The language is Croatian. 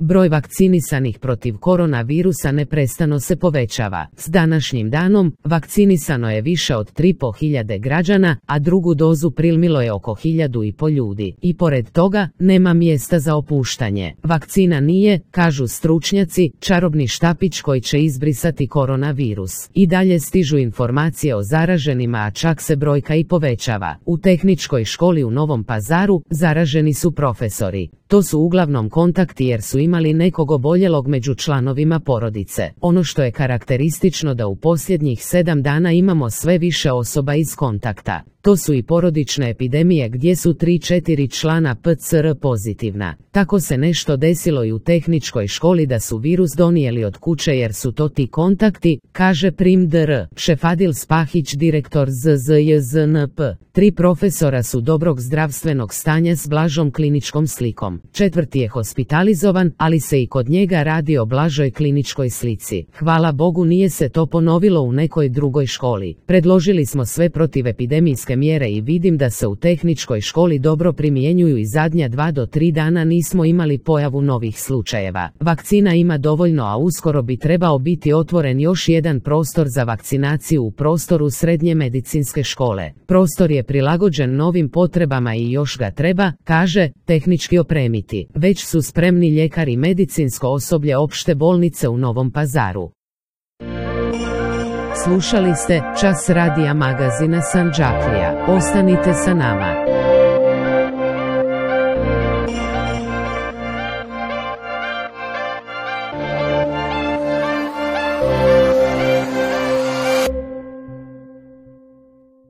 Broj vakcinisanih protiv koronavirusa neprestano se povećava. S današnjim danom vakcinisano je više od 3.500 građana, a drugu dozu primilo je oko 1.500 ljudi. I pored toga, nema mjesta za opuštanje. Vakcina nije, kažu stručnjaci, čarobni štapić koji će izbrisati koronavirus. I dalje stižu informacije o zaraženima, a čak se brojka i povećava. U Tehničkoj školi u Novom Pazaru zaraženi su profesori. To su uglavnom kontakti jer su imali nekog oboljelog među članovima porodice. Ono što je karakteristično da u posljednjih 7 dana imamo sve više osoba iz kontakta. To su i porodične epidemije gdje su 3-4 člana PCR pozitivna. Tako se nešto desilo i u Tehničkoj školi da su virus donijeli od kuće jer su to ti kontakti, kaže Prim Dr. Šefadil Spahić, direktor ZZJZNP. 3 profesora su dobrog zdravstvenog stanja s blažom kliničkom slikom. 4. je hospitalizovan, ali se i kod njega radi o blažoj kliničkoj slici. Hvala Bogu nije se to ponovilo u nekoj drugoj školi. Predložili smo sve protivepidemijske mjere i vidim da se u Tehničkoj školi dobro primjenjuju i zadnja 2 do 3 dana nismo imali pojavu novih slučajeva. Vakcina ima dovoljno, a uskoro bi trebao biti otvoren još jedan prostor za vakcinaciju u prostoru Srednje medicinske škole. Prostor je prilagođen novim potrebama i još ga treba, kaže, tehnički opremiti. Već su spremni ljekari i medicinsko osoblje opšte bolnice u Novom Pazaru. Slušali ste Čas radija magazina Sandžaklija. Ostanite sa nama.